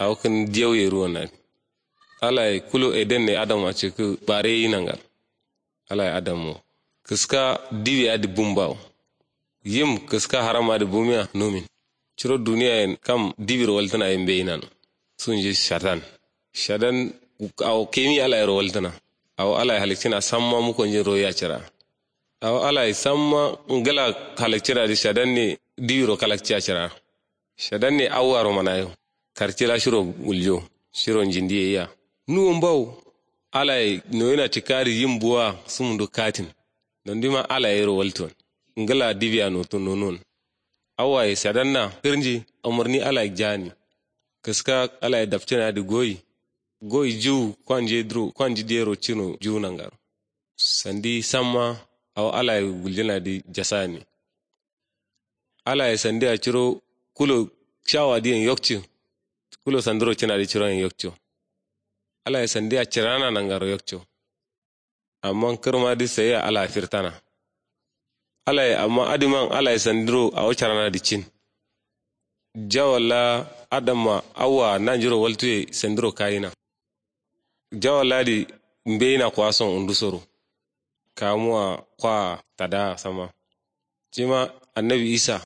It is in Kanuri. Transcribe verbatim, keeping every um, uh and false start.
Awo kǝn diyau ye ruwon adǝ. Alaye kulo eden ne adamma cǝkkǝ bare yi nangar. Alaye adammo kǝska diwi adǝ bumbawo. Yim kǝska haram adǝ bumiya numin. Curo duniyayen kam diwiro waltǝna ye mbeyi nano. Sunji shadan. Shadan awo kemi alayero waltǝna. Awo alaye halakcina samma mukonjin royi acira. Awo alaye samma ngla halakcina dǝ shadan ne diwiro kalakci acira. Shadan ne awwaro manayo. Karcila shiro wuljo. Shiro njindi ye iya. Nuwon bawo. Alaye noyina cǝkka dǝ yim buwa sumundu katin. Nondima alayero waltǝn. Ngla diwiya notǝn nonuwon. Awaye shadanna kǝrnji. Amarni alaye jani. Kǝska alaye dapcina dǝ goyi. Goyi jiwu. Kwanji dǝro kwanji diyero cino jiwu nangaro. Sandi samma. Awo alaye guljina dǝ jasani. Alaye sandiya curo kulo shawa diyen yokci. Kulo sandiro cina dǝ curoyen yokco. Alaye sandiya cirana nangaro yokco. Amma kǝrma dǝ sayiya alaye firtana. Alaye amma adǝman alaye sandiro awo carana dǝ cin. Jawalla adamma awwa nanjuro waltuye sandiro kayina. Jawalla dǝ mbeyina kwason undusoro. Kamuwa kwa tada sama. Cima annabi isa.